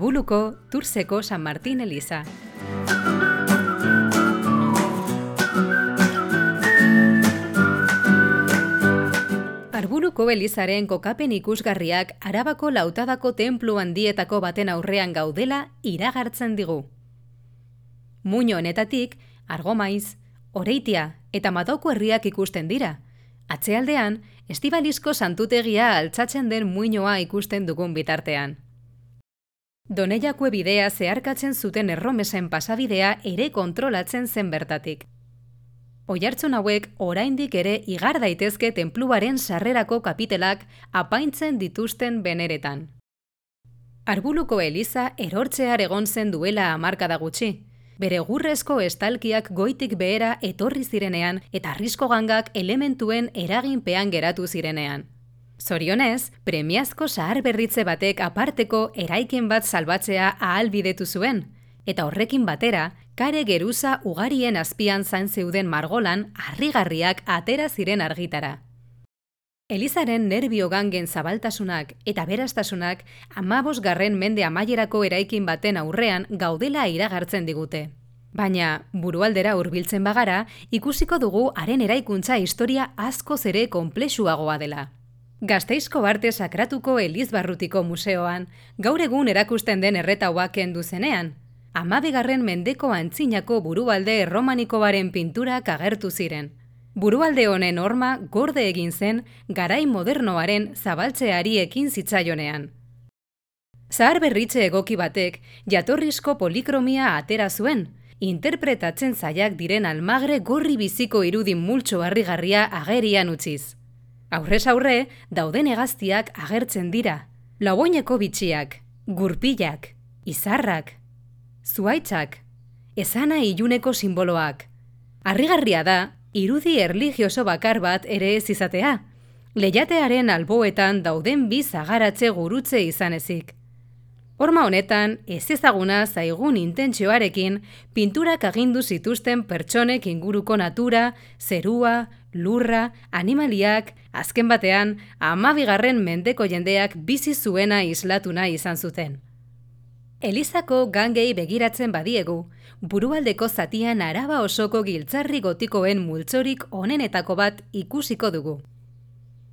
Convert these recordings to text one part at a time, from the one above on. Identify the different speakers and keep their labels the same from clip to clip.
Speaker 1: Arbuluko Turseko San Martin eliza. Arbuluko elizaren kokapen ikusgarriak Arabako Lautadako tenplu handietako baten aurrean gaudela iragartzen digu. Muino honetatik, Argomaiz, Oreitia eta Madauko herriak ikusten dira. Atzealdean, Estibalizko santutegia altxatzen den muinoa ikusten dugun bitartean. Doneiakue bidea zeharkatzen zuten erromesen pasabidea ere kontrolatzen zen bertatik. Oihartzun hauek oraindik ere igar daitezke tenpluaren sarrerako kapitelak apaintzen dituzten beneretan. Arbuluko eliza erortzear egon zen duela hamarkada gutxi. Bere gurrezko estalkiak goitik behera etorri zirenean eta arrisko gangak elementuen eraginpean geratu zirenean. Zorionez, premiazko zaharberritze batek aparteko eraikin bat salbatzea ahalbidetu zuen, eta horrekin batera, kare geruza ugarien azpian zain zeuden margolan harrigarriak atera ziren argitara. Elizaren nerbio gangen zabaltasunak eta berastasunak 15. mende amaierako eraikin baten aurrean gaudela iragartzen digute. Baina, burualdera hurbiltzen bagara, ikusiko dugu haren eraikuntza historia askoz ere konplexuagoa dela. Gasteizko Arte Sakratuko Elizbarrutiko museoan, gaur egun erakusten den erretaua kendu zenean, 12. mendeko antzinako burualde erromanikoaren pinturak agertu ziren. Burualde honen horma gorde egin zen garai modernoaren zabaltzeari ekin zitzaionean. Zaharberritze egoki batek jatorrizko polikromia atera zuen, interpretatzen zailak diren almagre gorri biziko irudi multzo harrigarria agerian utziz. Aurrez aurre, dauden hegaztiak agertzen dira. Lauoineko bitxiak, gurpilak, izarrak, zuhaitzak, esana iluneko sinboloak. Harrigarria da, irudi erlijioso bakar bat ere ez izatea. Leihatearen alboetan dauden bi zagaratze gurutze izan ezik. Horma honetan, ez ezaguna zaigun intentsioarekin, pinturak agindu zituzten pertsonek inguruko natura, zerua, lurra, animaliak, azken batean, 12. mendeko jendeak bizi zuena islatuna izan zuten. Elizako gangei begiratzen badiegu, burualdeko zatian Araba osoko giltzarri gotikoen multzorik onenetako bat ikusiko dugu.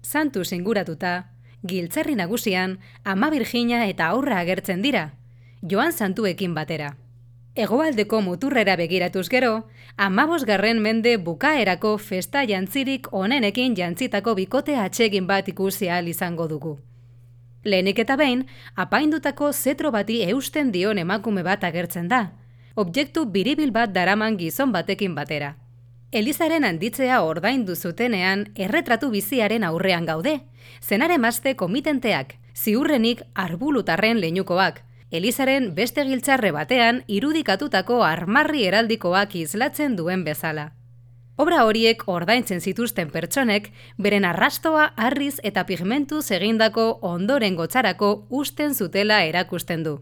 Speaker 1: Santuz inguratuta, giltzarri nagusian Ama Birjina eta aurra agertzen dira, Joan santuekin batera. Hegoaldeko muturrera begiratuz gero, 15. mende bukaerako festa jantzirik onenekin jantzitako bikote atsegin bat ikusi ahal izango dugu. Lehenik eta behin, apaindutako zetro bati eusten dion emakume bat agertzen da, objektu biribil bat daraman gizon batekin batera. Elizaren handitzea ordaindu zutenean erretratu biziaren aurrean gaude, zenaremazte komitenteak, ziurrenik arbulutarren leinukoak, Elizaren beste giltzarre batean irudikatutako armarri heraldikoak islatzen duen bezala. Obra horiek ordaintzen zituzten pertsonek, beren arrastoa harriz eta pigmentuz egindako ondoren gotzarako usten zutela erakusten du.